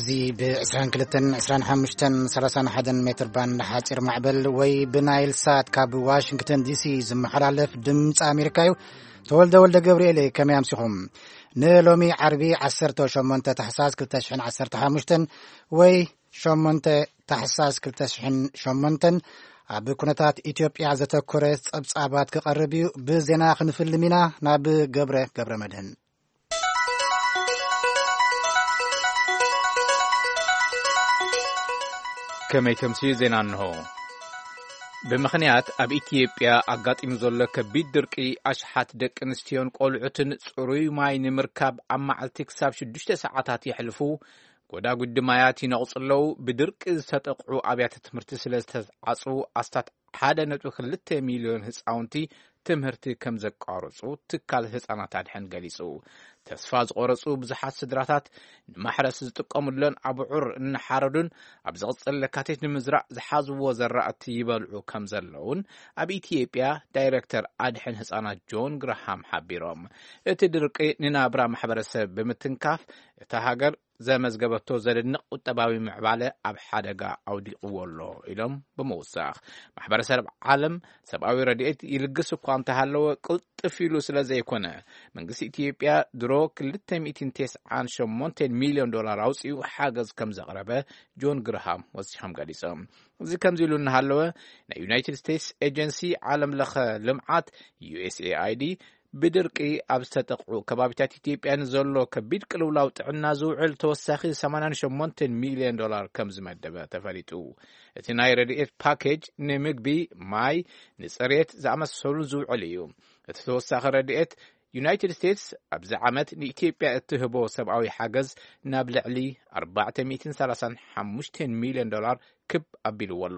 እዚ ብ22፣ 25፣ 31 ሜትር ባንድ ሓፂር ማዕበል ወይ ብናይል ሳት ካብ ዋሽንግተን ዲሲ ዝመሓላለፍ ድምፂ ኣሜሪካ እዩ። ተወልደ ወልደ ገብርኤል እየ። ከመይ ኣምሲኹም? ንሎሚ ዓርቢ 18 ታሕሳስ 2015 ወይ 8 ታሕሳስ 2008 ኣብ ኩነታት ኢትዮጵያ ዘተኮረ ጸብጻባት ክቐርብ እዩ። ብዜና ክንፍልም ኢና። ናብ ገብረ ገብረ መድህን። ከመይ ተምስዩ ዜና እንሆ። ብምኽንያት ኣብ ኢትዮጵያ ኣጋጢሙ ዘሎ ከቢድ ድርቂ፣ ኣሽሓት ደቂ ኣንስትዮን ቆልዑትን ጽሩይ ማይ ንምርካብ ኣብ መዓልቲ ክሳብ ሽዱሽተ ሰዓታት የሕልፉ፣ ጎዳጉዲ ማያት ይነቕጹ ኣለዉ። ብድርቂ ዝተጠቕዑ ኣብያተ ትምህርቲ ስለ ዝተዓጹ፣ ኣስታት ሓደ ነጥቢ ክልተ ሚልዮን ህጻውንቲ ትምህርቲ ከም ዘቋረጹ ትካል ህጻናት ኣድሕን ገሊጹ። ተስፋ ዝቖረጹ ብዙሓት ስድራታት ንማሕረስ ዝጥቀሙለን ኣብዑር እናሓረዱን ኣብ ዝቕጽል ለካቲት ንምዝራእ ዝሓዝዎ ዘራእቲ ይበልዑ ከም ዘለውን ኣብ ኢትዮጵያ ዳይሬክተር ኣድሕን ህጻናት ጆን ግርሃም ሓቢሮም። እቲ ድርቂ ንናብራ ማሕበረሰብ ብምትንካፍ፣ እታ ሃገር ዘመዝገበቶ ዘደንቕ ቁጠባዊ ምዕባለ ኣብ ሓደጋ ኣውዲቕዎ ኣሎ ኢሎም ብምውሳኽ፣ ማሕበረሰብ ዓለም ሰብኣዊ ረድኤት ይልግስ እኳ እንተሃለወ፣ ቅልጥፍ ኢሉ ስለ ዘይኮነ፣ መንግስቲ ኢትዮጵያ ድሮ ክልተ ሚእትን ተስዓን ሸሞንተን ሚልዮን ዶላር ኣውፂኡ ሓገዝ ከም ዘቕረበ ጆን ግርሃም ወሲኾም ገሊጾም። እዚ ከምዚ ኢሉ እናሃለወ፣ ናይ ዩናይትድ ስቴትስ ኤጀንሲ ዓለም ለኸ ልምዓት፣ ዩ ኤስ ኤ ኣይ ዲ፣ ብድርቂ ኣብ ዝተጠቕዑ ከባቢታት ኢትዮጵያ ንዘሎ ከቢድ ቅልውላው ጥዕና ዝውዕል ተወሳኺ ሰማንያን ሸሞንተን ሚልዮን ዶላር ከም ዝመደበ ተፈሊጡ። እቲ ናይ ረድኤት ፓኬጅ ንምግቢ፣ ማይ፣ ንጽሬት ዝኣመሰሉ ዝውዕል እዩ። እቲ ተወሳኺ ረድኤት፣ ዩናይትድ ስቴትስ ኣብዚ ዓመት ንኢትዮጵያ እትህቦ ሰብኣዊ ሓገዝ ናብ ልዕሊ ኣርባዕተ ሚእትን ሰላሳን ሓሙሽተን ሚልዮን ዶላር ክብ ኣቢልዎ ኣሎ።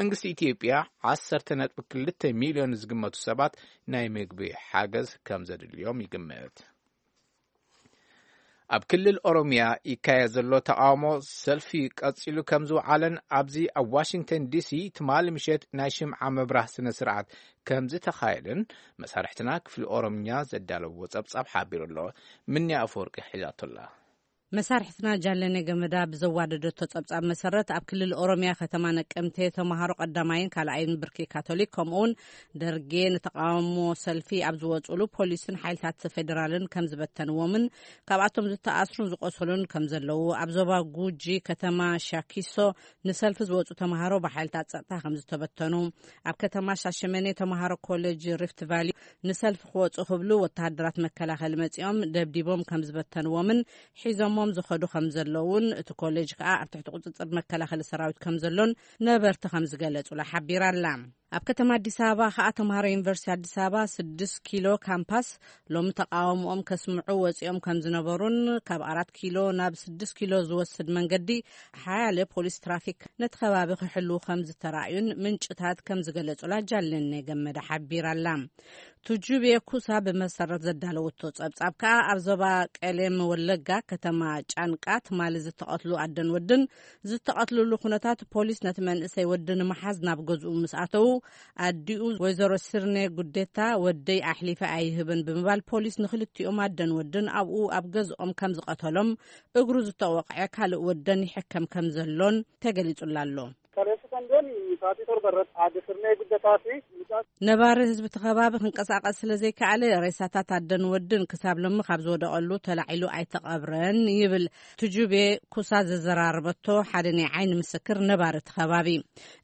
መንግስቲ ኢትዮጵያ ዓሰርተ ነጥቢ ክልተ ሚልዮን ዝግመቱ ሰባት ናይ ምግቢ ሓገዝ ከም ዘድልዮም ይግመት። ኣብ ክልል ኦሮሚያ ይካየድ ዘሎ ተቓውሞ ሰልፊ ቀጺሉ ከም ዝወዓለን፣ ኣብዚ ኣብ ዋሽንግተን ዲሲ ትማሊ ምሸት ናይ ሽምዓ ምብራህ ስነ ስርዓት ከም ዝተኻየደን መሳርሕትና ክፍሊ ኦሮምኛ ዘዳለዎ ጸብጻብ ሓቢሩ ኣሎ። ምንያ ኣፈወርቂ ሒዛቶ ኣላ። መሳርሕትና ጃለነ ገመዳ ብዘዋደደቶ ጸብጻብ መሰረት፣ ኣብ ክልል ኦሮሚያ ከተማ ነቀምቴ ተማሃሮ ቀዳማይን ካልኣይን ብርኪ ካቶሊክ፣ ከምኡውን ደርጌ፣ ንተቃውሞ ሰልፊ ኣብ ዝወጹሉ ፖሊስን ሓይልታት ፌደራልን ከም ዝበተንዎምን ካብኣቶም ዝተኣስሩን ዝቆሰሉን ከም ዘለዉ፣ ኣብ ዞባ ጉጂ ከተማ ሻኪሶ ንሰልፊ ዝወጹ ተማሃሮ ብሓይልታት ጸጥታ ከም ዝተበተኑ፣ ኣብ ከተማ ሻሸመኔ ተማሃሮ ኮሌጅ ሪፍት ቫሊ ንሰልፊ ክወጹ ክብሉ ወተሃደራት መከላኸሊ መጺኦም ደብዲቦም ከም ዝበተንዎምን ሒዞሞም ዝኸዱ ከም ዘለውን፣ እቲ ኮሌጅ ከኣ ኣብ ትሕቲ ቁጽጽር መከላኸሊ ሰራዊት ከም ዘሎን ነበርቲ ከም ዝገለጹላ ሓቢራ ኣላ። ኣብ ከተማ ኣዲስ ኣበባ ከኣ ተምሃሮ ዩኒቨርሲቲ ኣዲስ ኣበባ ስድስት ኪሎ ካምፓስ ሎሚ ተቃውሞኦም ከስምዑ ወጺኦም ከም ዝነበሩን፣ ካብ ኣራት ኪሎ ናብ ስድስት ኪሎ ዝወስድ መንገዲ ሓያለ ፖሊስ ትራፊክ ነቲ ከባቢ ክሕልዉ ከም ዝተራእዩን ምንጭታት ከም ዝገለጹላ ጃለኔ ገመዳ ሓቢራ ኣላ። ቱጁቤ ኩሳ ብመሰረት ዘዳለወቶ ጸብጻብ ከኣ፣ ኣብ ዞባ ቀሌም ወለጋ ከተማ ጫንቃ ትማሊ ዝተቐትሉ ኣደን ወድን ዝተቐትልሉ ኩነታት፣ ፖሊስ ነቲ መንእሰይ ወዲ ንምሓዝ ናብ ገዝኡ ምስ ኣተዉ፣ ኣዲኡ ወይዘሮ ስርኔ ጉዴታ፣ "ወደይ ኣሕሊፈ ኣይህብን" ብምባል ፖሊስ ንክልቲኦም ኣደን ወድን ኣብኡ ኣብ ገዝኦም ከም ዝቐተሎም፣ እግሩ ዝተወቕዐ ካልእ ወደን ይሕከም ከም ዘሎን ተገሊጹላ ኣሎ። Kaleessa Sandoon sa'aatii 7 irratti aadde Sirnee Guddataa fi mucaa ነባሪ ህዝቢ እቲ ከባቢ ክንቀሳቐስ ስለ ዘይከኣለ፣ ሬሳታት ኣደን ወድን ክሳብ ሎሚ ካብ ዝወደቐሉ ተላዒሉ ኣይተቐብረን ይብል ቱጁቤ ኩሳ ዘዘራረበቶ ሓደ ናይ ዓይኒ ምስክር ነባሪ እቲ ከባቢ።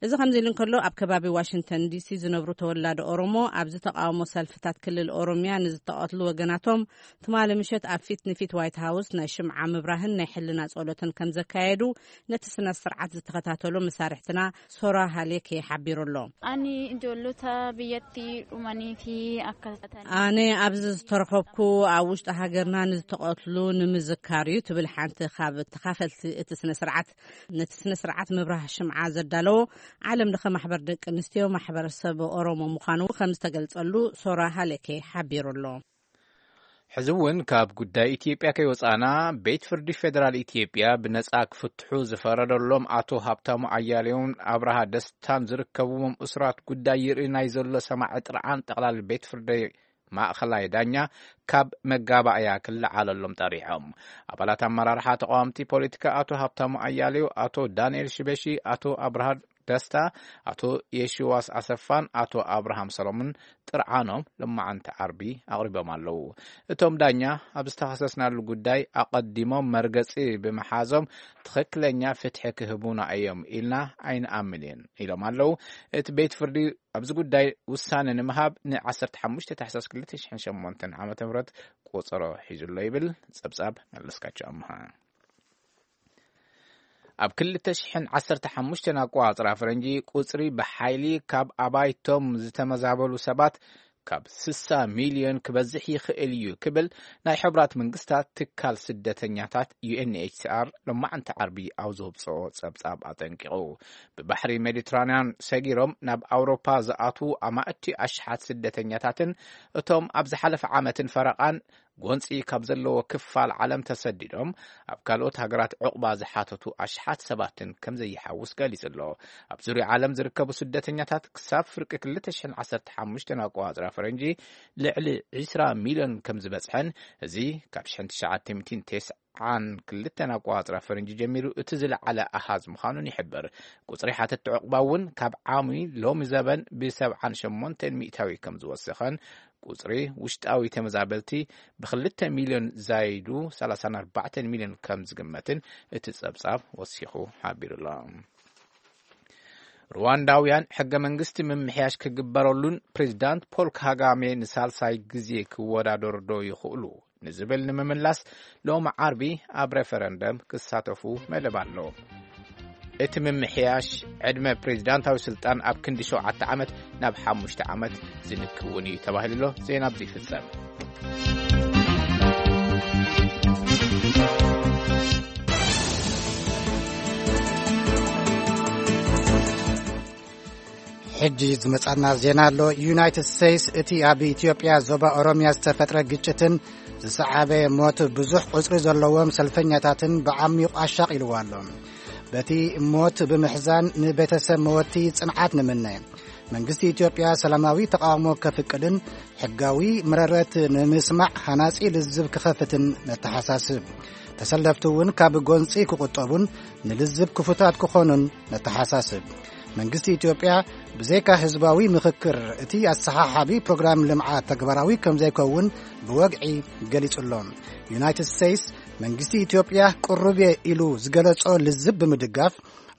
እዚ ከምዚ ኢሉ እንከሎ፣ ኣብ ከባቢ ዋሽንግተን ዲሲ ዝነብሩ ተወላዶ ኦሮሞ፣ ኣብዚ ተቃውሞ ሰልፍታት ክልል ኦሮሚያ ንዝተቐትሉ ወገናቶም ትማሊ ምሸት ኣብ ፊት ንፊት ዋይት ሃውስ ናይ ሽምዓ ምብራህን ናይ ሕልና ጸሎትን ከም ዘካየዱ ነቲ ስነ ስርዓት ዝተኸታተሉ መሳርሕትና ሶራ ሃሌኬ ሓቢሩ ኣሎ። Ani ijoollota biyyatti dhumanii fi akkasumas ኣነ ኣብዚ ዝተረኸብኩ ኣብ ውሽጢ ሃገርና ንዝተቐትሉ ንምዝካር እዩ፣ ትብል ሓንቲ ካብ ተኻፈልቲ እቲ ስነ ስርዓት። ነቲ ስነ ስርዓት ምብራህ ሽምዓ ዘዳለዎ ዓለም ለኸ ማሕበር ደቂ ኣንስትዮ ማሕበረሰብ ኦሮሞ ምዃኑ ከም ዝተገልጸሉ ሶራ ሃሌኬ ሓቢሩ ኣሎ። ሕዚ እውን ካብ ጉዳይ ኢትዮጵያ ከይወጻና፣ ቤት ፍርዲ ፌደራል ኢትዮጵያ ብነጻ ክፍትሑ ዝፈረደሎም ኣቶ ሃብታሙ ኣያሌውን ኣብርሃ ደስታን ዝርከብዎም እሱራት ጉዳይ ይርኢ ናይ ዘሎ ሰማዒ ጥርዓን ጠቕላሊ ቤት ፍርዲ ማእኸላይ ዳኛ ካብ መጋባእያ ክለዓለሎም ጠሪሖም። ኣባላት ኣመራርሓ ተቃወምቲ ፖለቲካ ኣቶ ሃብታሙ ኣያሌው፣ ኣቶ ዳንኤል ሽበሺ፣ ኣቶ ኣብርሃ ደስታ፣ ኣቶ የሽዋስ ኣሰፋን ኣቶ ኣብርሃም ሰሎምን ጥርዓኖም ሎማዓንቲ ዓርቢ ኣቕሪቦም ኣለዉ። እቶም ዳኛ ኣብ ዝተኸሰስናሉ ጉዳይ ኣቐዲሞም መርገጺ ብምሓዞም ትኽክለኛ ፍትሒ ክህቡና እዮም ኢልና ኣይንኣምን ኢሎም ኣለዉ። እቲ ቤት ፍርዲ ኣብዚ ጉዳይ ውሳነ ንምሃብ ን15 ታሕሳስ 2008 ዓ.ም ቆጸሮ ሒዙ ኣሎ ይብል ጸብጻብ መለስካቸው ኣምሃ። ኣብ 2015 ኣቋጽራ ፈረንጂ ቁጽሪ ብሓይሊ ካብ ኣባይቶም ዝተመዛበሉ ሰባት ካብ 60 ሚልዮን ክበዝሕ ይኽእል እዩ ክብል ናይ ሕብራት መንግስታት ትካል ስደተኛታት ዩ ኤን ኤች ሲ ኣር ሎማዕንቲ ዓርቢ ኣብ ዘውፅኦ ጸብጻብ ኣጠንቂቑ። ብባሕሪ ሜዲትራንያን ሰጊሮም ናብ ኣውሮፓ ዝኣትዉ ኣማእቲ ኣሽሓት ስደተኛታትን እቶም ኣብ ዝሓለፈ ዓመትን ፈረቓን ጎንፂ ካብ ዘለዎ ክፋል ዓለም ተሰዲዶም ኣብ ካልኦት ሃገራት ዕቑባ ዝሓተቱ ኣሽሓት ሰባትን ከም ዘይሓውስ ገሊጹ ኣሎ። ኣብ ዙርያ ዓለም ዝርከቡ ስደተኛታት ክሳብ ፍርቂ 2015 ኣቋጽራ ፈረንጂ ልዕሊ 20 ሚልዮን ከም ዝበጽሐን፣ እዚ ካብ 1992 ኣቋጽራ ፈረንጂ ጀሚሩ እቲ ዝለዓለ ኣሃዝ ምዃኑን ይሕብር። ቁጽሪ ሓተቲ ዕቑባ እውን ካብ ዓሚ ሎሚ ዘበን ብ78% ከም ዝወሰኸን፣ ቁጽሪ ውሽጣዊ ተመዛበልቲ ብ2 ሚልዮን ዛይዱ 34 ሚልዮን ከም ዝግመትን እቲ ጸብጻብ ወሲኹ ሓቢሩ ኣሎ። ሩዋንዳውያን ሕገ መንግስቲ ምምሕያሽ ክግበረሉን ፕሬዚዳንት ፖል ካጋሜ ንሳልሳይ ግዜ ክወዳደሩ ዶ ይኽእሉ ንዝብል ንምምላስ ሎሚ ዓርቢ ኣብ ሬፈረንደም ክሳተፉ መደብ ኣሎ። እቲ ምምሕያሽ ዕድመ ፕሬዚዳንታዊ ስልጣን ኣብ ክንዲ ሸውዓተ ዓመት ናብ ሓሙሽተ ዓመት ዝልክውን እዩ ተባሂሉ ኣሎ። ዜና ኣብዚ ይፍጸም። ሕጂ ዝመጻና ዜና ኣሎ። ዩናይትድ ስቴትስ እቲ ኣብ ኢትዮጵያ ዞባ ኦሮሚያ ዝተፈጥረ ግጭትን ዝሰዓበ ሞት ብዙሕ ቁጽሪ ዘለዎም ሰልፈኛታትን ብዓሚቑ ኣሻቒልዋ ኣሎ። በቲ ሞት ብምሕዛን ንቤተሰብ መወቲ ጽንዓት ንምነ። መንግስቲ ኢትዮጵያ ሰላማዊ ተቃውሞ ከፍቅድን ሕጋዊ መረረት ንምስማዕ ሃናጺ ልዝብ ክኸፍትን ነተሓሳስብ። ተሰለፍቲ እውን ካብ ጎንጺ ክቁጠቡን ንልዝብ ክፉታት ክኾኑን ነተሓሳስብ። መንግስቲ ኢትዮጵያ ብዘይካ ህዝባዊ ምኽክር እቲ ኣሰሓሓቢ ፕሮግራም ልምዓት ተግባራዊ ከም ዘይከውን ብወግዒ ገሊጹ ኣሎ። ዩናይትድ ስቴትስ መንግስቲ ኢትዮጵያ ቅሩብ እየ ኢሉ ዝገለጾ ልዝብ ብምድጋፍ፣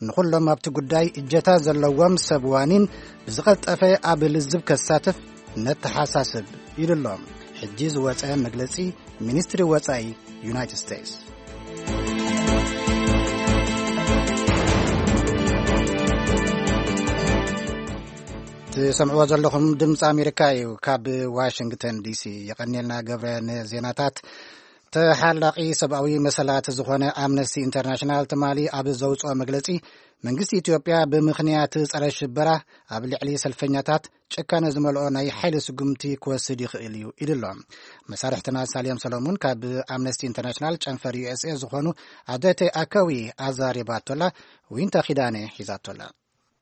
ንኹሎም ኣብቲ ጉዳይ እጀታ ዘለዎም ሰብ ዋኒን ብዝቐልጠፈ ኣብ ልዝብ ከሳትፍ ነተሓሳስብ ኢሉ ኣሎ። ሕጂ ዝወጸ መግለጺ ሚኒስትሪ ወጻኢ ዩናይትድ ስቴትስ። ትሰምዕዎ ዘለኹም ድምፂ ኣሜሪካ እዩ። ካብ ዋሽንግተን ዲሲ የቐንየልና ገብረ ንዜናታት። ተሓላቒ ሰብኣዊ መሰላት ዝኾነ ኣምነስቲ ኢንተርናሽናል ትማሊ ኣብ ዘውፅኦ መግለፂ፣ መንግስቲ ኢትዮጵያ ብምኽንያት ጸረ ሽበራ ኣብ ልዕሊ ሰልፈኛታት ጭካነ ዝመልኦ ናይ ሓይሊ ስጉምቲ ክወስድ ይኽእል እዩ ኢሉ ኣሎ። መሳርሕትና ሳልዮም ሰሎሙን ካብ ኣምነስቲ ኢንተርናሽናል ጨንፈር ዩ ኤስ ኤ ዝኾኑ ኣደተ ኣከዊ ኣዛሪባቶላ፣ ዊንታ ኪዳነ ሒዛቶላ።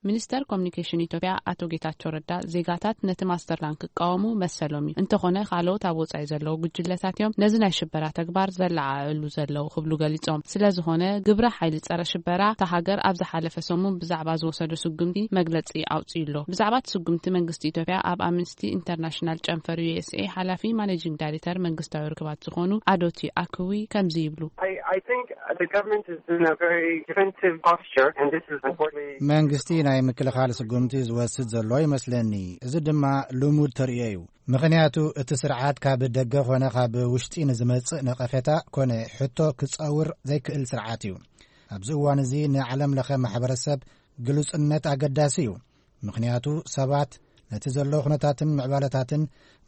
ሚኒስተር ኮሚኒኬሽን ኢትዮጵያ ኣቶ ጌታቸው ረዳ፣ ዜጋታት ነቲ ማስተር ፕላን ክቃወሙ መሰሎም እዩ፣ እንተኾነ ካልኦት ኣብ ወጻኢ ዘለዉ ጉጅለታት እዮም ነዚ ናይ ሽበራ ተግባር ዘለዓዕሉ ዘለዉ ክብሉ ገሊጾም። ስለዝኾነ ግብረ ሓይሊ ጸረ ሽበራ እታ ሃገር ኣብ ዝሓለፈ ሰሙን ብዛዕባ ዝወሰዶ ስጉምቲ መግለጺ ኣውጺኡ ኣሎ። ብዛዕባ እቲ ስጉምቲ መንግስቲ ኢትዮጵያ ኣብ ኣምነስቲ ኢንተርናሽናል ጨንፈር ዩ ኤስ ኤ ሓላፊ ማኔጂንግ ዳይሬክተር መንግስታዊ ርክባት ዝኾኑ ኣዶቲ ኣክዊ ከምዚ ይብሉ። I, I think the government is in a very defensive posture, and this is unfortunately መንግስቲ ናይ ምክልኻል ስጉምቲ ዝወስድ ዘሎ ይመስለኒ። እዚ ድማ ልሙድ ተርእዮ እዩ። ምኽንያቱ እቲ ስርዓት ካብ ደገ ኮነ ካብ ውሽጢ ንዝመጽእ ነቐፌታ ኮነ ሕቶ ክጸውር ዘይክእል ስርዓት እዩ። ኣብዚ እዋን እዚ ንዓለም ለኸ ማሕበረሰብ ግሉጽነት ኣገዳሲ እዩ። ምኽንያቱ ሰባት ነቲ ዘሎ ኩነታትን ምዕባለታትን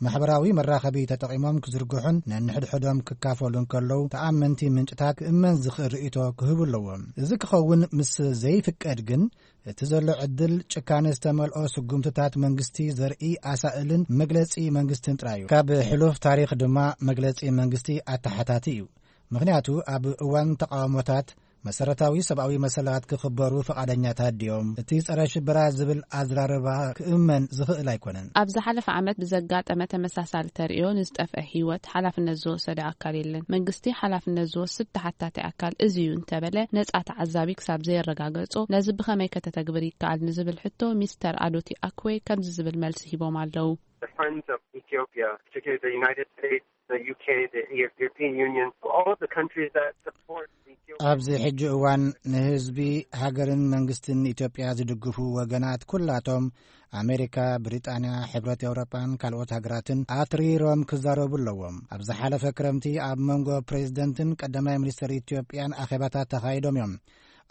ማሕበራዊ መራኸቢ ተጠቒሞም ክዝርግሑን ነንሕድሕዶም ክካፈሉን ከለዉ፣ ተኣመንቲ ምንጭታት ክእመን ዝኽእል ርእይቶ ክህቡ ኣለዎም። እዚ ክኸውን ምስ ዘይፍቀድ ግን፣ እቲ ዘሎ ዕድል ጭካነ ዝተመልኦ ስጉምትታት መንግስቲ ዘርኢ ኣሳእልን መግለጺ መንግስትን ጥራይ እዩ። ካብ ሕሉፍ ታሪኽ ድማ መግለጺ መንግስቲ ኣተሓታቲ እዩ። ምኽንያቱ ኣብ እዋን ተቃውሞታት መሰረታዊ ሰብኣዊ መሰላት ክኽበሩ ፍቓደኛታት ድዮም? እቲ ጸረ ሽበራ ዝብል ኣዘራርባ ክእመን ዝኽእል ኣይኮነን። ኣብ ዝሓለፈ ዓመት ብዘጋጠመ ተመሳሳሊ ተርእዮ ንዝጠፍአ ህይወት ሓላፍነት ዝወሰደ ኣካል የለን። መንግስቲ ሓላፍነት ዝወስድ ተሓታቲ ኣካል እዚ እዩ እንተበለ፣ ነጻ ተዓዛቢ ክሳብ ዘየረጋገጾ፣ ነዚ ብኸመይ ከተተግብር ይከኣል ንዝብል ሕቶ ሚስተር ኣዶቲ ኣክዌ ከምዚ ዝብል መልሲ ሂቦም ኣለዉ። The friends of Ethiopia, particularly the United States, the U K, the European Union, all of the countries that support Ethiopia. ኣብዚ ሕጂ እዋን ንህዝቢ ሃገርን መንግስትን ኢትዮጵያ ዝድግፉ ወገናት ኩላቶም ኣሜሪካ፣ ብሪጣንያ፣ ሕብረት ኤውሮጳን ካልኦት ሃገራትን ኣትሪሮም ክዛረቡ ኣለዎም። ኣብ ዝሓለፈ ክረምቲ ኣብ መንጎ ፕሬዝደንትን ቀዳማይ ሚኒስትር ኢትዮጵያን ኣኼባታት ተኻይዶም እዮም።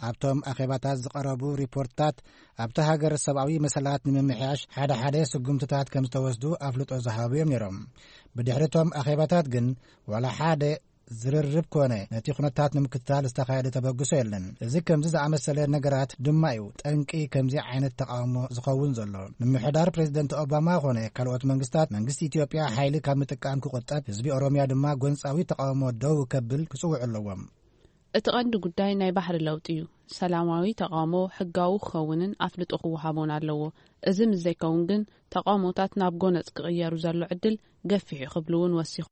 ኣብቶም ኣኼባታት ዝቐረቡ ሪፖርትታት ኣብቲ ሃገር ሰብኣዊ መሰላት ንምምሕያሽ ሓደ ሓደ ስጉምትታት ከም ዝተወስዱ ኣፍልጦ ዝሃቡ እዮም ነይሮም። ብድሕሪ እቶም ኣኼባታት ግን ዋላ ሓደ ዝርርብ ኮነ ነቲ ኩነታት ንምክትታል ዝተኻየደ ተበግሶ የለን። እዚ ከምዚ ዝኣመሰለ ነገራት ድማ እዩ ጠንቂ ከምዚ ዓይነት ተቓውሞ ዝኸውን ዘሎ። ምምሕዳር ፕሬዝደንት ኦባማ ኮነ ካልኦት መንግስታት፣ መንግስቲ ኢትዮጵያ ሓይሊ ካብ ምጥቃም ክቑጠብ፣ ህዝቢ ኦሮምያ ድማ ጎንጻዊ ተቓውሞ ደው ከብል ክጽውዑ ኣለዎም። እቲ ቀንዲ ጉዳይ ናይ ባህሪ ለውጢ እዩ። ሰላማዊ ተቓውሞ ሕጋዊ ክኸውንን ኣፍልጦ ክወሃቦን ኣለዎ። እዚ ምስ ዘይከውን ግን ተቓውሞታት ናብ ጎነጽ ክቕየሩ ዘሎ ዕድል ገፊሕ እዩ ክብሉ እውን ወሲኹ።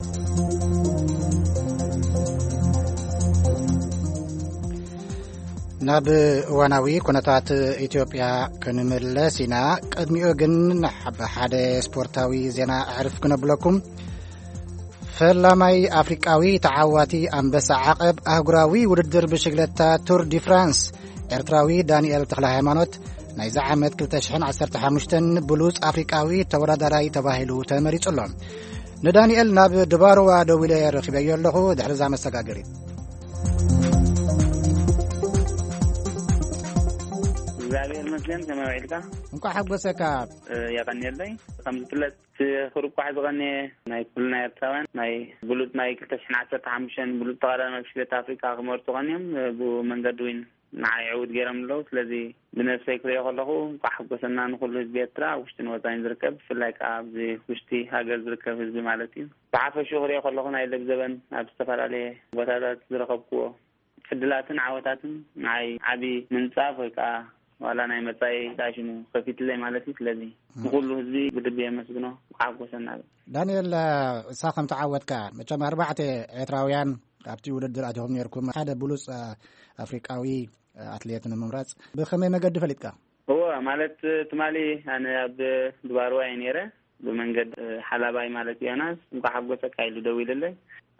ናብ እዋናዊ ኩነታት ኢትዮጵያ ክንምለስ ኢና። ቅድሚኡ ግን ንሓ-፣ ብሓደ ስፖርታዊ ዜና ኣዕርፍ ክነብለኩም። ፈላማይ ኣፍሪቃዊ ተዓዋቲ ኣንበሳ ዓቐብ ኣህጉራዊ ውድድር ብሽግለታ ቱር ዲ ፍራንስ ኤርትራዊ ዳንኤል ተኽለ ሃይማኖት ናይዚ ዓመት ክልተ ሽሕን ዓሰርተ ሓሙሽተን ብሉጽ ኣፍሪቃዊ ተወዳዳራይ ተባሂሉ ተመሪጹ ኣሎ። ንዳንኤል ናብ ድባርዋ ደዊለ ረኺበዮ ኣለኹ። ድሕሪ እዛ መሰጋገሪት። እግዚኣብሔር ይመስገን፣ ከመይ ውዒልካ? እንኳዕ ሓጎሰካ። እ፣ የቐንየለይ። ከም ዝፍለጥ፣ እቲ ክርቋሕ ዝቐነየ ናይ ኩልና ኤርትራውያን ናይ ብሉጽ ናይ ክልተ ሽሕን ዓሰርተ ሓሙሽተን ብሉጽ ተቐዳዳማይ ብሽክሌታ ኣፍሪቃ ክመርጹ ቀንዮም፣ እ፣ ብኡ መንገዲ ዊን ንዓይ ዕውት ገይሮም ኣለዉ። ስለዚ ብነፍሰይ ክሪኦ ከለኹ እንኳዕ ሓጎሰና ንኹሉ ህዝቢ ኤርትራ፣ ኣብ ውሽጥን ወጻኢን ዝርከብ፣ ብፍላይ ከኣ ኣብዚ ውሽጢ ሃገር ዝርከብ ህዝቢ ማለት እዩ። ብሓፈሽኡ ክሪኦ ከለኹ ናይ ለብዘበን ኣብ ዝተፈላለየ ቦታታት ዝረኸብክዎ ዕድላትን ዓወታትን ንዓይ ዓቢ ምንጻፍ ወይ ከኣ ዋላ ናይ መጻኢ ዳሽሙ ከፊትለይ ማለት እዩ። ስለዚ ንኹሉ ህዝቢ ብልቢ የመስግኖ፣ እንኳዕ ሓጎሰና። ዳንኤል፣ እሳ ከም ተዓወትካ፣ መቸም ኣርባዕተ ኤርትራውያን ኣብቲ ውድድር ኣቲኹም ነይርኩም፣ ሓደ ብሉጽ ኣፍሪቃዊ ኣትሌት ንምምራጽ ብኸመይ መገዲ ፈሊጥካ? እወ፣ ማለት ትማሊ ኣነ ኣብ ድባርዋ እየ ነይረ። ብመንገድ ሓላባይ ማለት ዮናስ እንኳዕ ሓጎሰካ ኢሉ ደዊልለይ።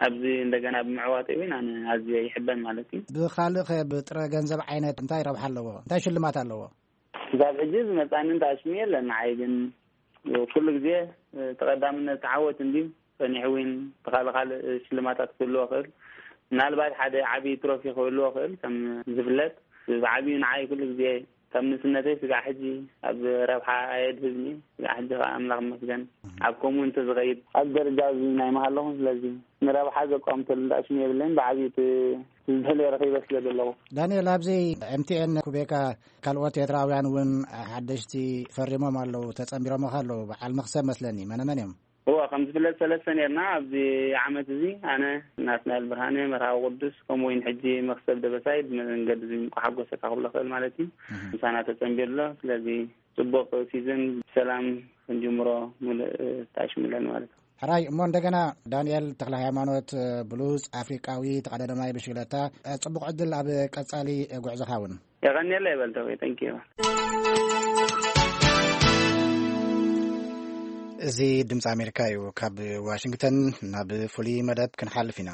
ኣብዚ እንደገና ብምዕዋተይ እውን ኣነ ኣዝየ ይሕበን ማለት እዩ። ብኻልእ ኸ ብጥረ ገንዘብ ዓይነት እንታይ ረብሓ ኣለዎ? እንታይ ሽልማት ኣለዎ? ክሳብ ሕጂ ዝመጻኒ እንተ ኣሽሙ የለን። ንዓይ ግን ኩሉ ግዜ ተቐዳምነት ዓወት እንድዩ። ጸኒሑ እውን ብኻልእ ካልእ ሽልማታት ክህልዎ ይኽእል። ምናልባት ሓደ ዓቢ ትሮፊ ክህልዎ ይኽእል። ከም ዝፍለጥ ብዓቢኡ ንዓይ ኩሉ ግዜ ካብ ንእስነተይ ስጋዕ ሕጂ ኣብ ረብሓ ኣየድህብኒ። ስጋዕ ሕጂ ከዓ ኣምላኽ ይመስገን ኣብ ከምኡ እንተዝኸይድ ኣብ ደረጃ እዚ ናይ ምሃለኹ። ስለዚ ንረብሓ ዘቋምተሉ እንዳሽሙ የብለይን። ብዓብዩ እቲ ዝደልዮ ረኺበ ስለ ዘለኹ። ዳንኤል፣ ኣብዚ ኤምቲኤን ኩቤካ ካልኦት ኤርትራውያን እውን ሓደሽቲ ፈሪሞም ኣለዉ፣ ተጸንቢሮምኻ ኣለዉ። በዓል መኽሰብ መስለኒ፣ መነመን እዮም? እወ፣ ከም ዝፍለጥ ሰለስተ ኔርና ኣብዚ ዓመት እዚ፣ ኣነ፣ ናትናኤል ብርሃነ፣ መርሃዊ ቅዱስ፣ ከምኡ እውን ሕጂ መኽሰብ ደበሳይ ብመንገዲ እዚ እንቋ ሓጎሰካ ክብሎ ክእል ማለት እዩ። እህ። ምሳና ተጸንቢሩ ኣሎ። ስለዚ ጽቡቕ ሲዝን ብሰላም ክንጅምሮ ምሉእ ተኣሽሙ ኣለና ማለት እዩ። ሕራይ እሞ እንደገና ዳንኤል ተኽለ ሃይማኖት፣ ብሉጽ ኣፍሪቃዊ ተቐዳዳማይ ብሽክለታ፣ ጽቡቕ ዕድል ኣብ ቀጻሊ ጉዕዞኻ እውን። የቐንየለይ በል ተውየ፣ thank you። እዚ ድምፂ ኣሜሪካ እዩ። ካብ ዋሽንግተን ናብ ፍሉይ መደብ ክንሓልፍ ኢና።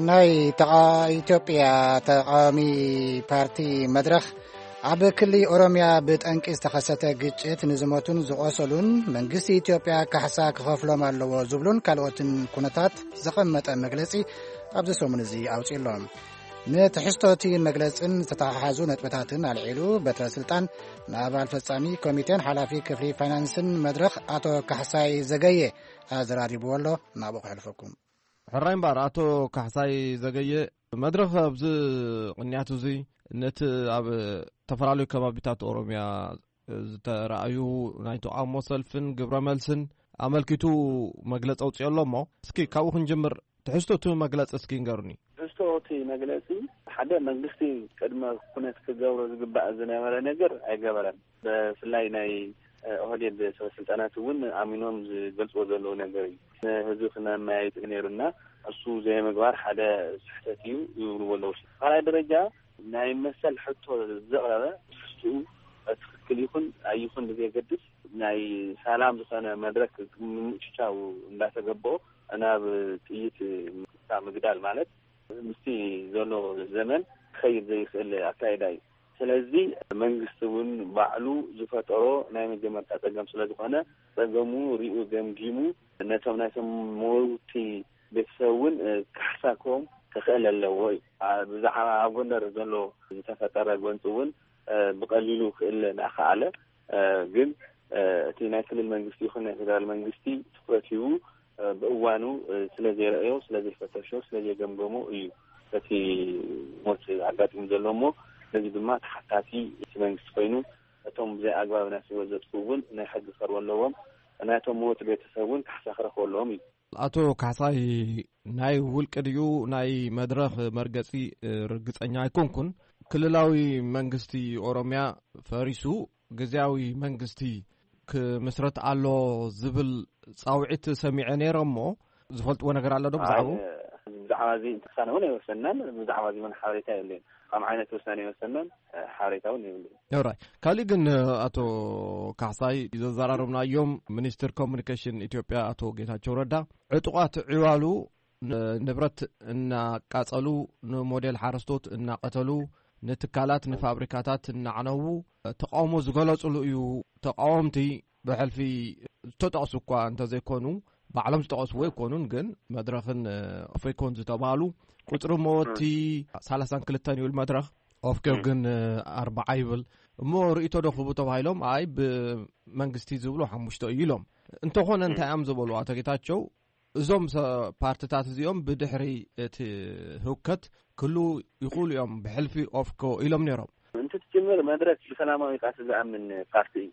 ናይ ተቓ-፣ ኢትዮጵያ ተቓዋሚ ፓርቲ መድረኽ ኣብ ክሊ ኦሮምያ ብጠንቂ ዝተኸሰተ ግጭት ንዝሞቱን ዝቖሰሉን መንግስቲ ኢትዮጵያ ካሕሳ ክኸፍሎም ኣለዎ ዝብሉን ካልኦትን ኩነታት ዘቐመጠ መግለጺ ኣብዚ ሰሙን እዚ ኣውጺኡ ኣሎ። ንትሕዝቶ እቲ መግለጽን ዝተተሓሓዙ ነጥብታትን ኣልዒሉ በትረ ስልጣን ንኣባል ፈጻሚ ኮሚቴን ሓላፊ ክፍሊ ፋይናንስን መድረኽ ኣቶ ካሕሳይ ዘገየ ኣዘራሪብዎ ኣሎ። ናብኡ ከሕልፈኩም። ሕራይ እምበኣር፣ ኣቶ ካሕሳይ ዘገየ፣ መድረኽ ኣብዚ ቅንያት እዚ ነቲ ኣብ ዝተፈላለዩ ከባቢታት ኦሮምያ ዝተረኣዩ ናይ ተቓውሞ ሰልፍን ግብረ መልስን ኣመልኪቱ መግለጺ ኣውጺኦ ኣሎ እሞ፣ እስኪ ካብኡ ክንጅምር። ትሕዝቶ እቲ መግለጺ እስኪ ንገሩኒ። ትሕዝቶ እቲ መግለጺ፣ ሓደ መንግስቲ ቅድመ ኩነት ክገብሮ ዝግባእ ዝነበረ ነገር ኣይገበረን። ብፍላይ ናይ ኦህዴድ ሰበ ስልጣናት እውን ኣሚኖም ዝገልጽዎ ዘለዉ ነገር እዩ። ንህዝቢ ክነመያይጥ ነይሩና፣ እሱ ዘይምግባር ሓደ ስሕተት እዩ ይብልዎ ኣለዉ። ካልኣይ ደረጃ፣ ናይ መሰል ሕቶ ዘቕረበ ትሕዝትኡ ትኽክል ይኹን ኣይኹን ብዘየገድስ፣ ናይ ሰላም ዝኾነ መድረክ ምምችቻው እንዳተገበኦ ናብ ጥይት ምክታ ምግዳል ማለት ምስቲ ዘሎ ዘመን ክኸይድ ዘይኽእል ኣካይዳ እዩ። ስለዚ መንግስቲ እውን ባዕሉ ዝፈጠሮ ናይ መጀመርታ ጸገም ስለ ዝኾነ፣ ጸገሙ ሪኡ ገምጊሙ ነቶም ናይቶም መወውቲ ቤተሰብ እውን፣ እ፣ ካሕሳ ክህቦም ክኽእል ኣለዎ እዩ። አ፣ ብዛዕባ ኣብ ጎንደር ዘሎ ዝተፈጠረ ጎንፂ እውን፣ እ፣ ብቐሊሉ ክእለ እናኸኣለ፣ እ፣ ግን፣ እ፣ እቲ ናይ ክልል መንግስቲ ይኹን ናይ ፌደራል መንግስቲ ትኹረት ሂቡ፣ እ፣ ብእዋኑ፣ እ፣ ስለ ዘይረኣዮ፣ ስለ ዘይፈተሾ፣ ስለ ዘይገምገሞ እዩ እቲ ሞት ኣጋጢሙ ዘሎ እሞ፣ ነዚ ድማ ተሓታቲ እቲ መንግስቲ ኮይኑ፣ እቶም ብዘይ ኣግባብ ናይ ህይወት ዘጥፍኡ እውን ናይ ሕጊ ክቐርቡ ኣለዎም። ናይቶም መወቲ ቤተሰብ እውን ካሕሳ ክረኽቡ ኣለዎም እዩ። ኣቶ ካሕሳይ፣ ናይ ውልቂ ድዩ ናይ መድረኽ መርገጺ ርግጸኛ ኣይኮንኩን። ክልላዊ መንግስቲ ኦሮምያ ፈሪሱ ግዝያዊ መንግስቲ ክምስረት ኣሎ ዝብል ጻውዒት ሰሚዐ ነይረ እሞ፣ ዝፈልጥዎ ነገር ኣሎ ዶ ብዛዕባኡ? ኣይ፣ ብዛዕባ እዚ ውሳነ እውን ኣይወሰናን፣ ብዛዕባ እዚ እውን ሓበሬታ የብለይን። ከም ዓይነት ውሳነ ኣይወሰናን፣ ሓበሬታ እውን የብለይን። ኦራይ። ካሊእ ግን፣ ኣቶ ካሕሳይ፣ ዘዘራረብናዮም ሚኒስትር ኮሙኒኬሽን ኢትዮጵያ ኣቶ ጌታቸው ረዳ፣ ዕጡቓት ዕዋሉ ን-፣ ንብረት እናቃጸሉ፣ ንሞዴል ሓረስቶት እናቀተሉ፣ ንትካላት፣ ንፋብሪካታት እናዕነዉ ተቃውሞ ዝገለጹሉ እዩ። ተቃወምቲ ብሕልፊ ዝተጠቕሱ እኳ እንተዘይኮኑ፣ ባዕሎም ዝጠቐስዎ ኣይኮኑን፣ ግን መድረኽን፣ እ፣ ኦፌኮን ዝተባህሉ ቁጽሪ መወቲ ሰላሳን ክልተን ይብል መድረኽ፣ ኦፌኮ እ። ግን፣ እ፣ ኣርባዓ ይብል። እሞ ርእይቶ ዶ ክህቡ ተባሂሎም፣ ኣይ ብመንግስቲ ዝብሉ ሓሙሽተ እዩ ኢሎም። እንተኾነ እንታይ እዮም ዝበሉ ኣቶ ጌታቸው? እዞም ሰ-፣ ፓርትታት እዚኦም ብድሕሪ እቲ ህውከት ክህልዉ ይኽእሉ እዮም፣ ብሕልፊ ኦፌኮ ኢሎም ነይሮም። እንትትጅምር መድረክ ብሰላማዊ ቃልሲ ዝኣምን ፓርቲ እዩ።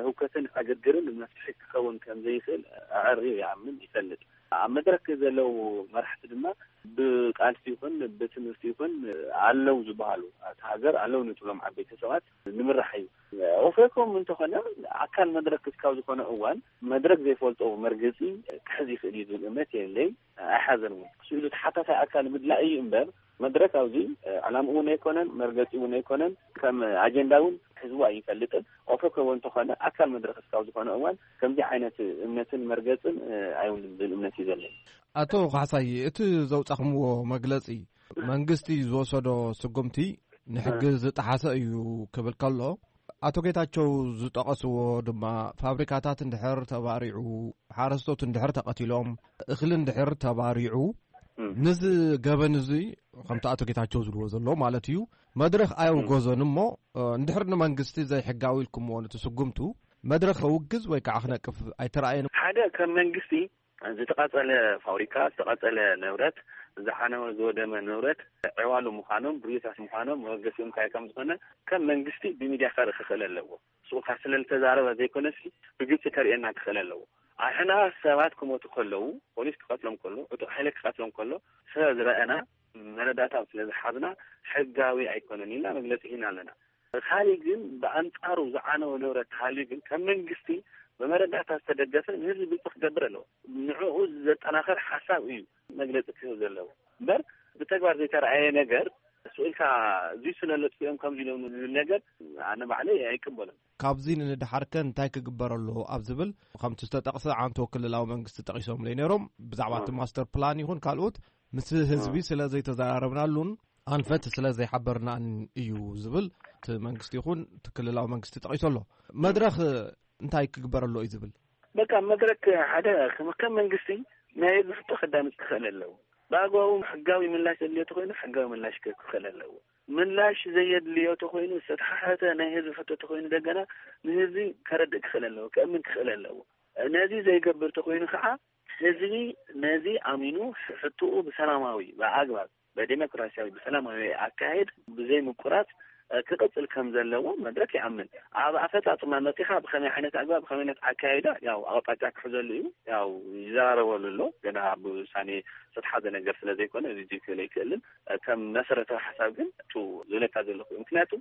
ህውከትን ዕግርግርን መፍትሒ ክኸውን ከም ዘይኽእል ኣዐርዩ ይኣምን፣ ይፈልጥ። ኣብ መድረክ ዘለዉ መራሕቲ ድማ ብቃልሲ ይኹን ብትምህርቲ ይኹን ኣለዉ ዝበሃሉ፣ ኣብቲ ሃገር ኣለዉ ንትብሎም ዓበይቲ ሰባት ንምራሕ እዩ። ኦፌኮም እንተኾነ ኣካል መድረክ ክስካብ ዝኾነ እዋን መድረክ ዘይፈልጦ መርገጺ ክሕዝ ይኽእል እዩ ዝብል እምነት የለይ፣ ኣይሓዘን እውን። ስኢሉ ተሓታታይ ኣካል ምድላእ እዩ እምበር መድረክ ኣብዚ ዕላምኡ እውን ኣይኮነን፣ መርገጺ እውን ኣይኮነን፣ ከም ኣጀንዳ እውን ሕዝቡ ኣይፈልጥን። ኦፌኮ እውን እንተኾነ ኣካል መድረክ እስካብ ዝኾነ እዋን ከምዚ ዓይነት እምነትን መርገጽን ኣይውልን ዝብል እምነት እዩ ዘለኒ። ኣቶ ካሕሳይ፣ እቲ ዘውጻኹምዎ መግለጺ መንግስቲ ዝወሰዶ ስጉምቲ ንሕጊ ዝጠሓሰ እዩ ክብል ከሎ፣ ኣቶ ጌታቸው ዝጠቐስዎ ድማ ፋብሪካታት እንድሕር ተባሪዑ፣ ሓረስቶት እንድሕር ተቐቲሎም፣ እኽሊ እንድሕር ተባሪዑ፣ እም። ነዚ ገበን እዚ ከምቲ ኣቶ ጌታቸው ዝብልዎ ዘሎ ማለት እዩ፣ መድረኽ ኣየውገዞን እሞ፣ እ፣ እንድሕር ንመንግስቲ ዘይሕጋዊ ኢልኩምዎ ነቲ ስጉምቱ፣ መድረኽ ከውግዝ ወይ ከዓ ክነቅፍ ኣይተራእየን። ሓደ ከም መንግስቲ ዝተቓጸለ ፋብሪካ፣ ዝተቓጸለ ንብረት፣ ዝዓነወ ዝወደመ ንብረት ዕዋሉ ምዃኖም፣ ብርዮታት ምዃኖም መበገሲኦም እንታይ ከም ዝኾነ ከም መንግስቲ ብሚድያ ከርኢ ክኽእል ኣለዎ። ስኡካ ስለ ዝተዛረበ ዘይኮነሲ ብግልጺ ከርእየና ክኽእል ኣለዎ። ኣሕና ሰባት ክሞቱ ከለዉ፣ ፖሊስ ክቐትሎም ከሎ፣ ዕጡቕ ሓይሊ ክቐትሎም ከሎ ስለ ዝረኣና መረዳእታ ስለ ዝሓዝና ሕጋዊ ኣይኮነን ኢልና መግለጺ ሂና ኣለና። ካሊእ ግን ብኣንጻሩ ዝዓነወ ንብረት ተሃልዩ ግን ከም መንግስቲ ብመረዳእታ ዝተደገፈ ንህዝቢ ግልጺ ክገብር ኣለዎ። ንዕኡ ዘጠናኸር ሓሳብ እዩ መግለጺ ክህብ ዘለዎ። እምበር ብተግባር ዘይተረኣየ ነገር ስኢልካ እዙይ ስለ ለጥፊኦም ከምዚ ኢሎም ዝብል ነገር ኣነ ባዕለይ ኣይቅበሎን። ካብዚ ንድሓርከ እንታይ ክግበር ኣለዎ ኣብ ዝብል፣ ከምቲ ዝተጠቕሰ ዓንቶ ክልላዊ መንግስቲ ጠቒሶምለይ ነይሮም። ብዛዕባ እቲ እ። ማስተር ፕላን ይኹን ካልኦት ምስ ህዝቢ እ። ስለ ዘይተዘራረብናሉን ኣንፈት ስለ ዘይሓበርናን እዩ ዝብል እቲ መንግስቲ ይኹን እቲ ክልላዊ መንግስቲ ጠቒሱ ኣሎ። መድረኽ እንታይ ክግበር ኣሎ እዩ ዝብል? በቃ መድረክ ሓደ ከም፣ ከም መንግስቲ ናይ ህዝቢ ሕቶ ከዳምፅ ክኽእል ኣለዎ። ብኣግባቡ ሕጋዊ ምላሽ ዘድልዮ ተኾይኑ ሕጋዊ ምላሽ ክህብ ክኽእል ኣለዎ። ምላሽ ዘየድልዮ ተኾይኑ ዝተተሓሓተ ናይ ህዝቢ ሕቶ ተኾይኑ ደገና ንህዝቢ ከረድእ ክኽእል ኣለዎ፣ ከእምን ክኽእል ኣለዎ። ነዚ ዘይገብር ተኾይኑ ከዓ ህዝቢ ነዚ ኣሚኑ ሕቶኡ ብሰላማዊ ብኣግባብ ብዴሞክራሲያዊ ብሰላማዊ ኣካሄድ ብዘይ ምቁራጽ ክቕጽል ከም ዘለዎ መድረክ ይኣምን። ኣብ ኣፈጻጽማ መጺኻ ብኸመይ ዓይነት ኣግባብ ብኸመይ ዓይነት ኣካይዳ ያው ኣቕጣጫ ክሕዘሉ እዩ። ያው ይዘራረበሉ ኣሎ። ገና ብውሳኔ ዝተሓዘ ነገር ስለ ዘይኮነ እዚ ክእል ኣይክእልን። ከም መሰረታዊ ሓሳብ ግን እቱ ዝብለካ ዘለኹ ምክንያቱ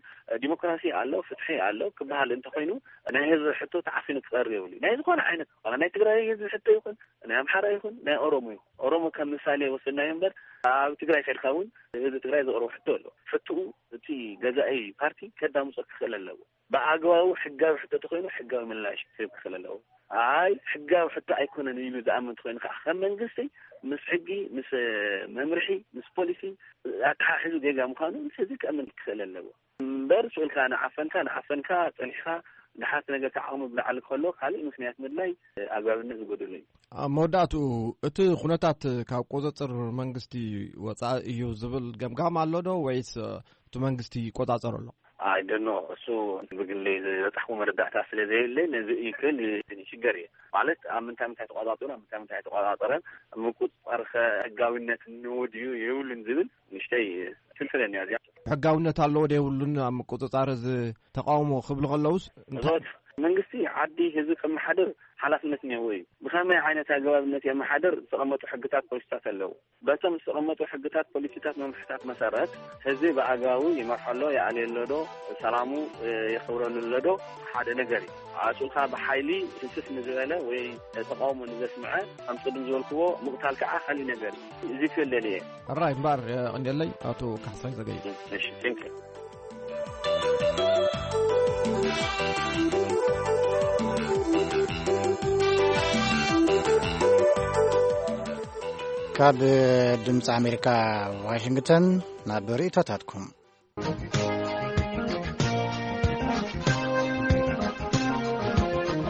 ዲሞክራሲ ኣሎ፣ ፍትሒ ኣሎ ክበሃል እንተኾይኑ ናይ ህዝቢ ሕቶ ተዓፊኑ ክቐርብ የብሉ። ናይ ዝኾነ ዓይነት ናይ ትግራይ ህዝቢ ሕቶ ይኹን ናይ ኣምሓራ ይኹን ናይ ኦሮሞ ይኹን ኦሮሞ ከም ምሳሌ ወስድናዮ እምበር ኣብ ትግራይ ከድካ እውን ህዝቢ ትግራይ ዘቕርቦ ሕቶ ኣሎ። ሕትኡ እቲ ገዛኢ ፓርቲ ከዳምፆ ክኽእል ኣለዎ። ብኣግባቡ ሕጋዊ ሕቶ ተኮይኑ ሕጋዊ ምላሽ ክህብ ክኽእል ኣለዎ። ኣይ ሕጋዊ ሕቶ ኣይኮነን ኢሉ ዝኣምን ተኮይኑ ከዓ ከም መንግስቲ ምስ ሕጊ ምስ መምርሒ ምስ ፖሊሲ ኣተሓሒዙ ጌጋ ምዃኑ ምስ ህዝቢ ክእምን ክኽእል ኣለዎ። እምበር ስኡልካ ንዓፈንካ ንዓፈንካ ፀኒሕካ ንሓት ነገር ተዓቕሙ ብላዕሊ ከሎ ካልእ ምክንያት ምድላይ ኣግባብነት ዝጎደሎ እዩ። ኣብ መወዳእትኡ እቲ ኩነታት ካብ ቁፅፅር መንግስቲ ወፃኢ እዩ ዝብል ገምጋም ኣሎ ዶ ወይስ እቲ መንግስቲ ይቆፃፀር ኣሎ? ኣይ ደኖ እሱ ብግለይ ዝበፃሕኩ መረዳእታ ስለ ዘየለይ ነዚ እዩ ክብል ሽገር እየ ማለት ኣብ ምንታይ ምንታይ ተቆፃፂሩ ኣብ ምንታይ ምንታይ ተቆፃፀረን ምቁፅፃር ከ ሕጋዊነት እንዎ ድዩ የብሉን ዝብል ንሽተይ ትልፍለኒ እያ እዚኣ። ሕጋውነት ኣለዎ ዶ የብሉን ኣብ ምቁፅፃር እዚ ተቃውሞ ክብሉ ከለውስ እንታይ እዞት መንግስቲ ዓዲ ህዝቢ ከመሓድር ሓላፍነት እኒሀዎ እዩ። ብኸመይ ዓይነት ኣገባብነት የመሓድር ዝተቐመጡ ሕግታት ፖሊሲታት ኣለዉ። በቶም ዝተቐመጡ ሕግታት ፖሊሲታት መምርሕታት መሰረት ህዝቢ ብኣግባቡ ይመርሖ ኣሎ ይኣልየሎ ዶ ሰላሙ የኽብረሉ ኣሎ ዶ ሓደ ነገር እዩ። ኣሱልካ ብሓይሊ ህስስ ንዝበለ ወይ ተቃውሞ ንዘስምዐ ከም ቅድም ዝበልክዎ ምቕታል ከዓ ካሊእ ነገር እዩ። እዚ ክብል ደልየ። ሕራይ እምበር ቀንደለይ ኣቶ ካሕሳይ ዘገየ። እሺ ቴንክ ካብ ድምፂ ኣሜሪካ ዋሽንግተን ናብ ርእቶታትኩም።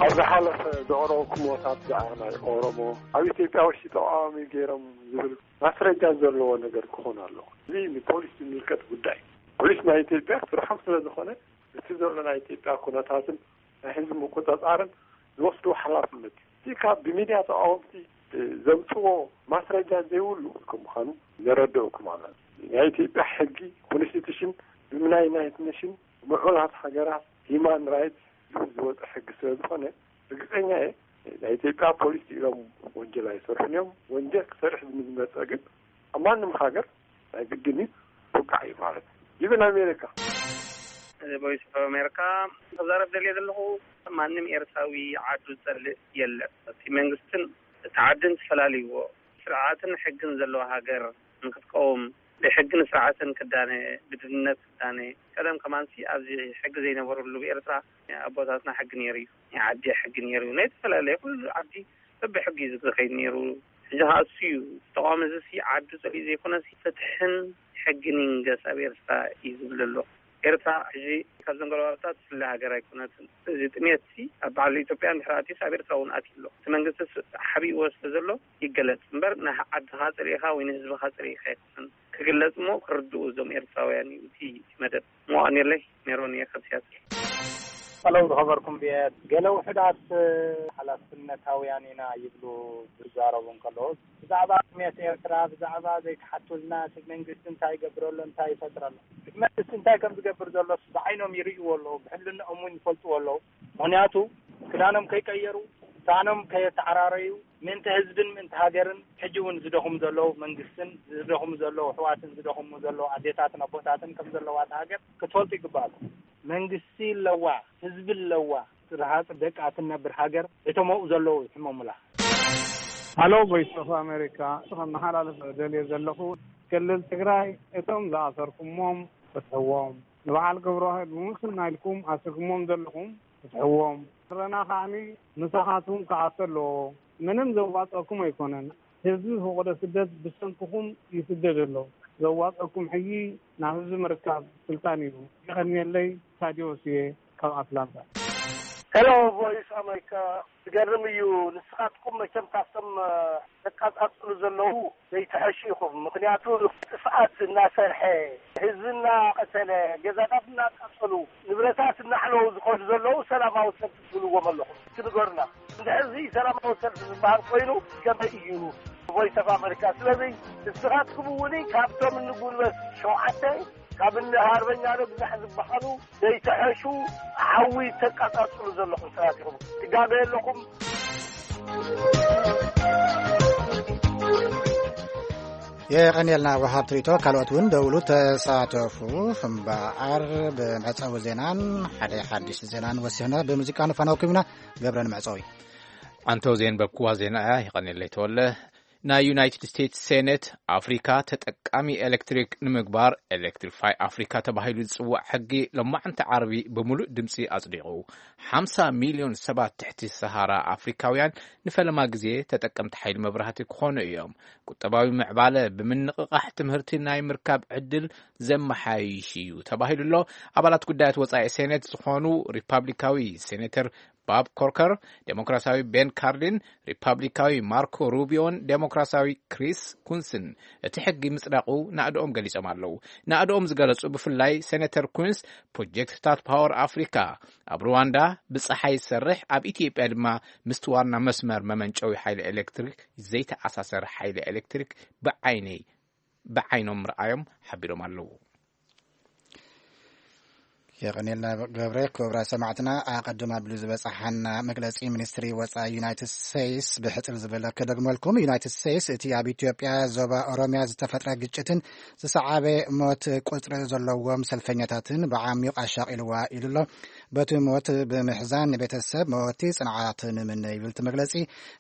ኣብ ዝሓለፈ ዘቕረብኩምዎ ብዛዕባ ናይ ኦሮሞ ኣብ ኢትዮጵያ ውሽጢ ተቃዋሚ ገይሮም ዝብል ማስረጃ ዘለዎ ነገር ክኾን ኣለዎ። እዚ ንፖሊስ ዝምልከት ጉዳይ ፖሊስ ናይ ኢትዮጵያ ስርሖም ስለ ዝኾነ እቲ ዘሎ ናይ ኢትዮጵያ ኩነታትን ናይ ህዝቢ ምቁፅፃርን ዝወስድዎ ሓላፍነት እዩ። እቲ ካብ ብሚድያ ተቃወምቲ ዘምፅዎ ማስረጃ ዘይብሉ ከም ምዃኑ ነረድእኩም ኣለና። ናይ ኢትዮጵያ ሕጊ ኮንስቲቱሽን ብምናይ ናይት ኔሽን ምዑላት ሃገራት ሂማን ራይትስ ዝብል ዝወፀ ሕጊ ስለ ዝኾነ ርግፀኛ እየ ናይ ኢትዮጵያ ፖሊስ ኢሎም ወንጀል ኣይሰርሑን እዮም። ወንጀል ክሰርሕ ዝመፀ ግን ኣብ ማንም ሃገር ናይ ግድን እዩ ክውቃዕ እዩ ማለት እዩ። ይብን ኣሜሪካ ቮይስ ኦፍ ኣሜሪካ ክዛረብ ደልየ ዘለኹ ማንም ኤርትራዊ ዓዱ ዝጸልእ የለን። እቲ መንግስትን እቲ ዓድን ተፈላልይዎ ስርዓትን ሕግን ዘለዎ ሃገር ንክትቀውም ብሕግን ስርዓትን ክዳነ ብድልነት ክዳነ ቀደም ከማንሲ ኣብዚ ሕጊ ዘይነበረሉ ብኤርትራ ኣቦታትና ሕጊ ነይሩ እዩ ናይ ዓዲ ሕጊ ነይሩ እዩ ናይ ዝተፈላለየ ኩሉ ዓዲ በብሕጊ እዩ ዝኸይድ ነይሩ። ሕጂ ከዓ እሱ እዩ ተቃዋሚ እዚ ሲ ዓዱ ፀሊኡ ዘይኮነሲ ፍትሕን ሕግን ይንገስ ኣብ ኤርትራ እዩ ዝብል ዘሎ። ኤርትራ ሕጂ ካብዘን ጎረባብታት ትፍለ ሃገር ኣይኮነትን። እዚ ጥሜት ሲ ኣብ ባዕሉ ኢትዮጵያ እንድሕር ኣትዩስ ኣብ ኤርትራ እውን ኣትዩ ኣሎ። እቲ መንግስቲ ሓቢእዎ ስለ ዘሎ ይገለፅ እምበር ንዓድኻ ፀሊእኻ ወይ ንህዝብኻ ፀሊእኻ ኣይኮነን። ክግለፅ እሞ ክርድኡ እዞም ኤርትራውያን እዩ እቲ መደብ። ሞኣ ኔርለይ ሜሮን እየ ካብ ሲያትል። ሄሎ ዝኸበርኩም ቪኦኤ፣ ገለ ውሑዳት ሓላፍነታውያን ኢና ይብሉ ዝዛረቡ እንከለዉ፣ ብዛዕባ ጥሜት ኤርትራ፣ ብዛዕባ ዘይክሓቱልና እቲ መንግስቲ እንታይ ይገብር ኣሎ፣ እንታይ ይፈጥር ኣሎ፣ እቲ መንግስቲ እንታይ ከም ዝገብር ዘሎስ ብዓይኖም ይርእይዎ ኣለዉ፣ ብሕልንኦም እውን ይፈልጥዎ ኣለዉ። ምኽንያቱ ክዳኖም ከይቀየሩ፣ ሳእኖም ከየተዓራረዩ፣ ምእንቲ ህዝብን ምእንቲ ሃገርን ሕጂ እውን ዝደኽሙ ዘለዉ መንግስትን ዝደኽሙ ዘለዉ ኣሕዋትን ዝደኽሙ ዘለዉ ኣዴታትን ኣቦታትን ከም ዘለዋ እታ ሃገር ክትፈልጡ ይግባኣኩም። መንግስቲ ኣለዋ፣ ህዝቢ ኣለዋ፣ ረሃፅ ደቃ ትነብር ሃገር እቶም ኣብኡ ዘለዉ ይሕመሙላ። ሃሎ ቮይስ ኦፍ ኣሜሪካ፣ ከመሓላልፍ ደልየ ዘለኹ ክልል ትግራይ እቶም ዝኣሰርኩሞም ፍትሕዎም፣ ንበዓል ገብረዋህድ ብሙስና ኢልኩም ኣስርኩሞም ዘለኹም ፍትሕዎም። ረና ከዓኒ ምሳኻትኩም ክኣቱ ኣለዎ። ምንም ዘዋፀኩም ኣይኮነን። ህዝቢ ፈቆዶ ስደት ብሰንክኹም ይስደድ ኣሎ። ዘዋፀኩም ሕጂ ናብ ህዝቢ ምርካብ ስልጣን እዩ። የቐንየለይ። ታዲዮስ እየ ካብ ኣትላንታ። ሄሎ ቮይስ ኣሜሪካ፣ ዝገርም እዩ። ንስኻትኩም መቸም ካብቶም ተቃጻጽሉ ዘለዉ ዘይትሐሹ ኢኹም። ምኽንያቱ ጥፍኣት እናሰርሐ፣ ህዝቢ እናቐተለ፣ ገዛታት እናቃጸሉ፣ ንብረታት እናሕለዉ ዝኸዱ ዘለዉ ሰላማዊ ሰልፊ ትብልዎም ኣለኹም። እስኪ ንገሩና። እንድሕር እዚ ሰላማዊ ሰልፊ ዝበሃል ኮይኑ ከመይ እዩ? ቮይስ ኦፍ ኣሜሪካ። ስለዚ ንስኻትኩም እውን ካብቶም እንጉልበት ሸውዓተ ካብ እኒ ሃርበኛ ነብዛሕ ዝበሃሉ ዘይተሐሹ ሓዊ ተቃጻጽሉ ዘለኹም ሰባት ኢኹም። ትጋገ ኣለኹም። የቐንየልና ወሃብ ትሪቶ። ካልኦት እውን ደውሉ፣ ተሳተፉ። እምበኣር ብመዕጸዊ ዜናን ሓደ ሓድሽ ዜናን ወሲኽና ብሙዚቃ ንፋነወኩም ኢና። ገብረ ንመዕጸዊ። ኣንተው ዜን በብክዋ ዜና እያ። ይቐንየለይ ተወለ። ናይ ዩናይትድ ስቴትስ ሴኔት ኣፍሪካ ተጠቃሚ ኤሌክትሪክ ንምግባር ኤሌክትሪፋይ ኣፍሪካ ተባሂሉ ዝፅዋዕ ሕጊ ሎማዕንቲ ዓርቢ ብምሉእ ድምፂ ኣፅዲቑ። ሓምሳ ሚልዮን ሰባት ትሕቲ ሰሃራ ኣፍሪካውያን ንፈለማ ግዜ ተጠቀምቲ ሓይሊ መብራህቲ ክኾኑ እዮም። ቁጠባዊ ምዕባለ ብምንቕቓሕ ትምህርቲ ናይ ምርካብ ዕድል ዘመሓይሽ እዩ ተባሂሉ ኣሎ። ኣባላት ጉዳያት ወፃኢ ሴኔት ዝኾኑ ሪፓብሊካዊ ሴኔተር ባብ ኮርከር፣ ዴሞክራሲያዊ ቤን ካርሊን፣ ሪፓብሊካዊ ማርኮ ሩቢዮን ዴሞክራሲያዊ ክሪስ ኩንስን እቲ ሕጊ ምጽዳቑ ናእድኦም ገሊጾም ኣለዉ። ናእድኦም ዝገለጹ ብፍላይ ሴኔተር ኩንስ ፕሮጀክትታት ፓወር ኣፍሪካ ኣብ ሩዋንዳ ብጸሓይ ዝሰርሕ፣ ኣብ ኢትዮጵያ ድማ ምስቲ ዋና መስመር መመንጨዊ ሓይሊ ኤሌክትሪክ ዘይተኣሳሰር ሓይሊ ኤሌክትሪክ ብዓይነይ ብዓይኖም ምርኣዮም ሓቢሮም ኣለዉ። የቐኔልና ገብረ። ክቡራት ሰማዕትና፣ ኣቐድም ኣቢሉ ዝበጻሓና መግለጺ ሚኒስትሪ ወጻኢ ዩናይትድ ስቴትስ ብሕጽር ዝበለ ክደግመልኩም። ዩናይትድ ስቴትስ እቲ ኣብ ኢትዮጵያ ዞባ ኦሮሚያ ዝተፈጥረ ግጭትን ዝሰዓበ ሞት ቁጽሪ ዘለዎም ሰልፈኛታትን ብዓሚቕ ኣሻቒልዋ ኢሉ ኣሎ። በቲ ሞት ብምሕዛን ንቤተሰብ መወቲ ጽንዓት ንምነ ይብል እቲ መግለጺ።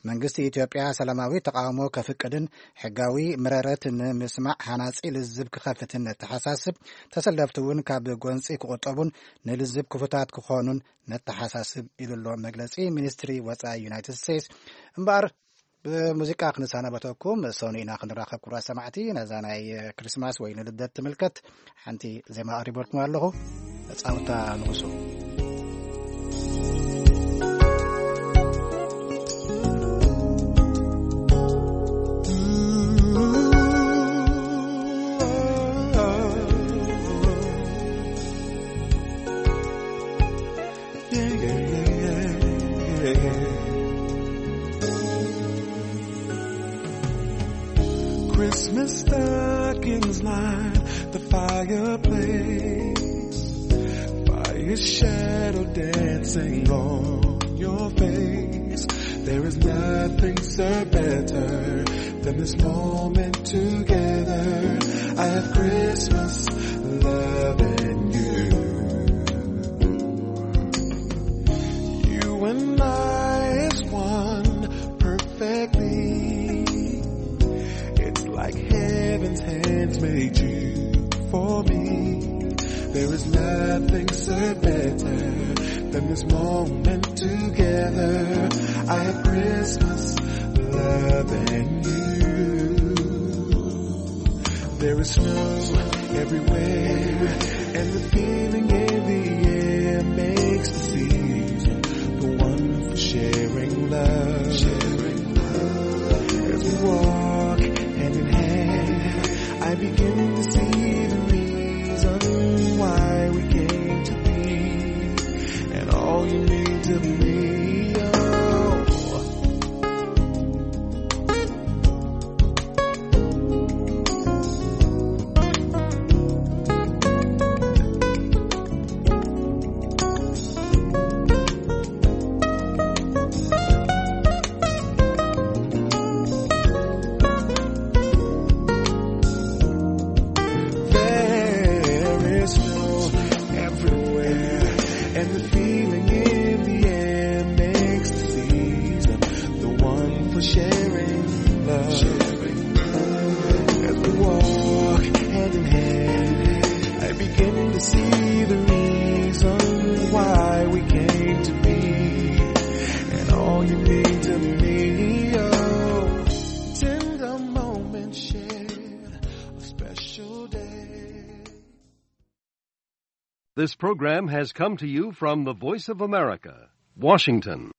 መንግስቲ ኢትዮጵያ ሰላማዊ ተቓውሞ ከፍቅድን ሕጋዊ መረረት ንምስማዕ ሃናጺ ልዝብ ክኸፍትን ነተሓሳስብ። ተሰለፍቲ እውን ካብ ጎንጺ ክቑጠቡን ንልዝብ ክፉታት ክኾኑን ነተሓሳስብ ኢሉ ኣሎ መግለጺ ሚኒስትሪ ወጻኢ ዩናይትድ ስቴትስ። እምበኣር ብሙዚቃ ክንሰናበተኩም። ሰኑይ ኢና ክንራኸብ ክቡራት ሰማዕቲ። ነዛ ናይ ክሪስማስ ወይ ንልደት ትምልከት ሓንቲ ዜማ ኣቕሪበልኩም ኣለኹ። መጻውታ ንጉሱ። Christmas stockings line the fireplace. Fire shadow dancing on your face. There is nothing so better than this moment together. I have Christmas loving you. You and I is one perfectly. It's like heaven's hands made you for me. There is nothing so better than this moment together. I have Christmas loving you. There is snow everywhere, and the feeling in the air makes the season the one for sharing love. As we walk hand in hand, I begin to see the reason why we came to be, and all you mean to me. Oh. There is snow everywhere, and the feeling in the air makes the season the one for sharing love. As we walk hand in hand, I begin to see the reason why we came to be, and all you mean to me. Oh, tender moments shared, a special day. This program has come to you from the Voice of America, Washington.